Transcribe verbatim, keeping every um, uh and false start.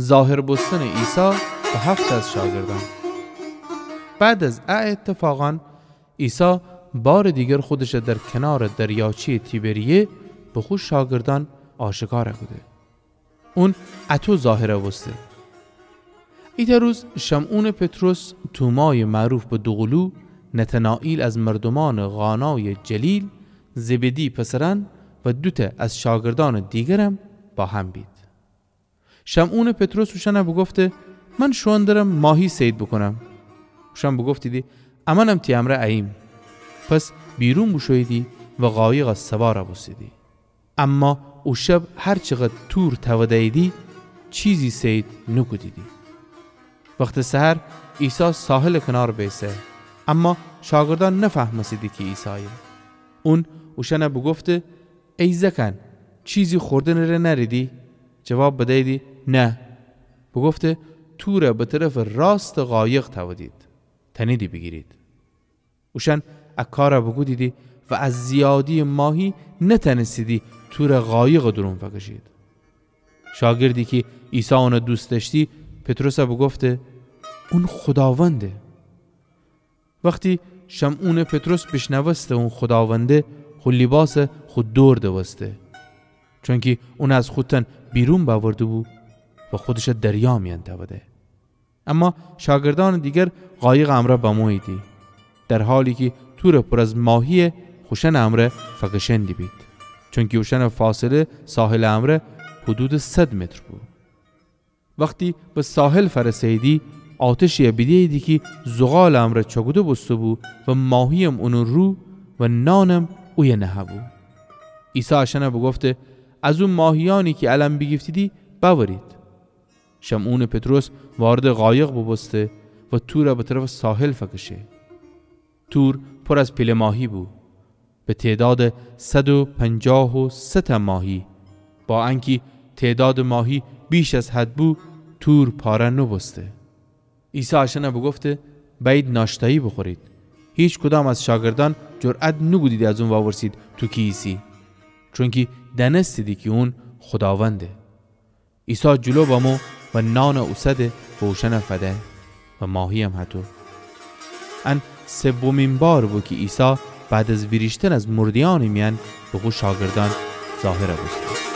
ظاهر بوستنٚ عیسی به هفت از شاگردأن. بعد از ا ایتفاقأن، عیسی بارٚ دیگر خودشَ در کنارٚ دریاچه‌یٚ تیبریه به خو شاگردأن آشکار کوده. اون اطو ظاهر بوسته. ایتأ روز شمعونٚ پطرس، تومایٚ معروف به دوقلو، نتنائیل از مردومأنٚ قانایٚ جلیل، زبدی پسرأن و دوتأ از شاگردأنٚ دیگرم با هم بید. شمعونٚ پطرس اوشأنَ بوگفته: من شوئون درم ماهی صید بوکونم. اوشأن بوگفتیدی: امأنم تی امرأ اییم. پس بیرون بوشوییدی و قایقَ سوار بوستیدی. اما او شب هر چقدر تور توده‌ییدی، چیزی صید نوکودیدی. وختٚ سحر عیسی ساحلٚ کنار بیسه، اما شاگردأن نفهمستیدی کی عیسایه. اون اوشأنَ بوگفته: ای زأکأن، چیزی خوردنٚ ره نأریدی؟ جواب بدییدی: نه. بوگفته: تورَ به طرفٚ راستٚ قایق تودید، تأنیدی بیگیرید. اوشأن ا کارَ بوکودیدی و از زیادییٚ ماهی نتأنستیدی تورَ قایقٚ دورون فکشید. شاگردی کی عیسی اونَ دوست دأشتی، پطرسَ بوگفته: اون خوداونده. وختی شمعونٚ پطرس بیشنوسته اون خوداونده، خو لیباسَ خو دور دوسته، چونکی اونَ از خو تن بیرون بأورده‌بو و خودشَ دریا میأن تأوده. اما شاگردأنٚ دیگر قایقٚ امرأ بموییدی، در حالی کی تورٚ پور از ماهیَ خوشأنٚ امرأ فکشأن دیبید، چونکی اوشأنٚ فاصله ساحلٚ امرأ حدودٚ صد متر بو. وختی به ساحل فأرسه‌ییدی، آتشی‌یَ بیده‌ییدی کی زغالٚ امرأ چأکوده بوسته‌بو و ماهییم اونٚ رو و نانم اویه نهه‌بو. عیسی اشأنَ بوگفته: از او ماهیأنی کی الأن بیگیفتیدی بأورید. شمعونٚ پطرس واردٚ قایق بوبوسته و تورَ به طرفٚ ساحل فکشه. تور پور از پیله ماهی بو، به تعدادٚ صد و پنجاه و سه تأ ماهی. با انکی تعدادٚ ماهی بیش از حد بو، تور پاره نوبوسته. عیسی اشأنَ بوگفته: بأیید ناشتأیی بوخورید. هیکدام از شاگردأن جرأت نوکودیدی از اون وورسید: تو کی ایسی؟ چونکی دأنستیدی کی اون خوداونده. عیسی جلو بمو و نانَ اوسده و اوشأنَ فده و ماهییم هطو. ان سومین بار بو کی عیسی بعد از ویریشتن از مرده‌یأنٚ میأن به خو شاگردأن ظاهر بوسته.